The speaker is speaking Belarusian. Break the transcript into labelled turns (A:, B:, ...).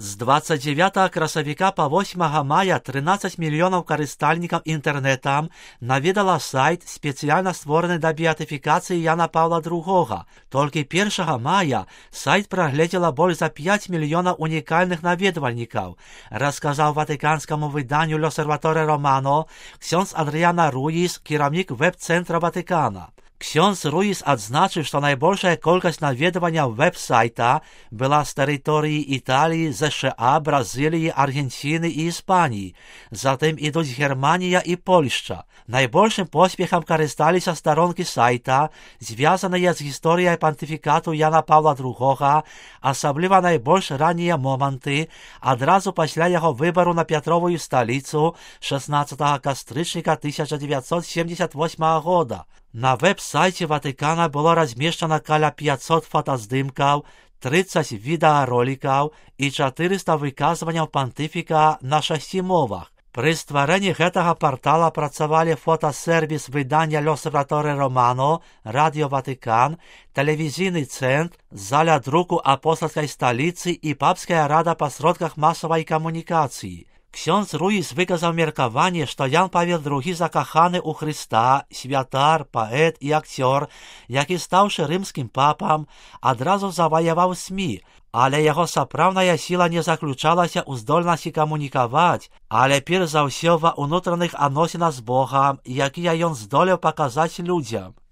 A: З 29 красавіка па 8 мая 13 мільёнаў карыстальнікаў інтэрнэтам наведала сайт, спецыяльна створаны да беатыфікацыі Яна Паўла II. Толькі 1 мая сайт прагледзела больш за 5 мільёнаў унікальных наведвальнікаў, расказаў ватыканскаму выданню L'Osservatore Romano ksiądz Adriana Ruiz, кіраўнік веб-цэнтра Ватыкана. Ksiądz Ruiz адзначыў, што найбольшая колькасць наведванняў веб-сайта была з тэрыторыі Італіі, ЗША, Бразыліі, Аргенціны і Іспаніі. Затым ідуць Германія і Польшча. Найбольшым поспехам карысталіся старонкі сайта, звязаныя з гісторыяй пантыфікату Яна Паўла II, асабліва найбольш раннія моманты, адразу пасля яго выбару на Пятровую сталіцу 16 кастрычніка 1978 года. На веб-сайце Ватыкана было размешчана каля 500 фотаздымкаў, 30 відэаролікаў і 400 выказванняў пантыфіка на 6 мовах. Пры стварэнні гэтага партала працавалі фотасервіс выдання L'Osservatore Romano, радыё Ватыкан, тэлевізійны цэнтр, заля друку апостальскай сталіцы і папская рада па сродках масавай камунікацыі. Ksiądz Ruiz выказаў меркаванне, што Ян Павел II закаханы ў Хрыста, святар, паэт і акцёр, які, стаўшы рымскім папам, адразу заваяваў СМІ, але яго сапраўдная сіла не заключалася ў здольнасці камунікаваць, але перш за ўсё ва ўнутраных адносінах з Богам, якія ён здолеў паказаць людзям.